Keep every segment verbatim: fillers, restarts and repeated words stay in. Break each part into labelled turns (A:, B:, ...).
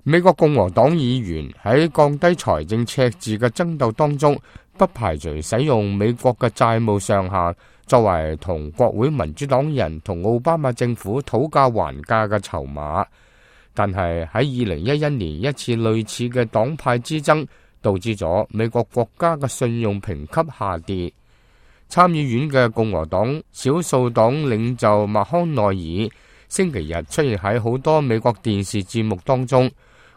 A: 美國共和黨議員喺降低財政赤字嘅爭鬥當中，不排除使用美國嘅債務上限作為同國會民主黨人同奧巴馬政府討價還價嘅籌碼。但係喺二零一一年一次類似嘅黨派之爭，導致咗美國國家嘅信用評級下跌。參議院嘅共和黨少數黨領袖麥康奈爾星期日出現喺好多美國電視節目當中，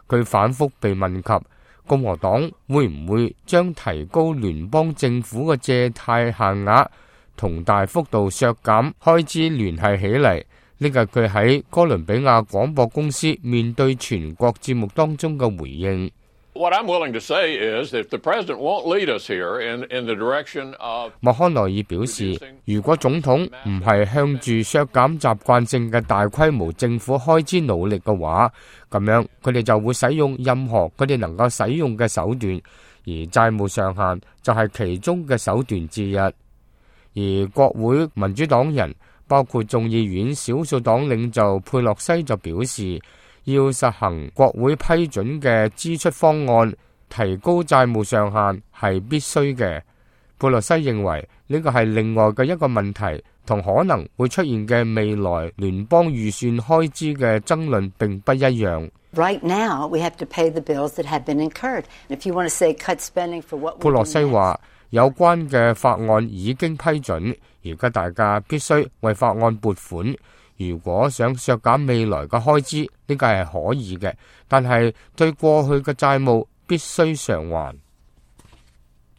A: 佢反覆被問及共和黨會唔會將提高聯邦政府嘅借貸限額同大幅度削減開支聯繫起嚟。呢個係佢喺哥倫比亞廣播公司面對全國節目當中嘅回應。
B: What I'm willing to say is if the president won't lead us here in, in the direction of
A: 麥康奈爾表示，如果總統唔係向住削減習慣性嘅大規模政府開支努力嘅話，咁樣佢哋就會使用任何佢哋能夠使用嘅手段，而債務上限就係其中嘅手段之一。而國會民主黨人包括眾議院少數黨領袖佩洛西就表示，要實行國會批准嘅支出方案，提高債務上限係必須嘅。佩洛西認為呢個係另外嘅一個問題，同可能會出現嘅未來聯邦預算開支嘅爭論並不一樣。
C: Right now, we have to pay the bills that have been incurred. If you want to say cut spending for what we do next.
A: 佩洛西話，有關嘅法案已經批准，而家大家必須為法案撥款。如果想削減未來嘅開支，呢個係可以嘅，但係對過去嘅債務必須償還。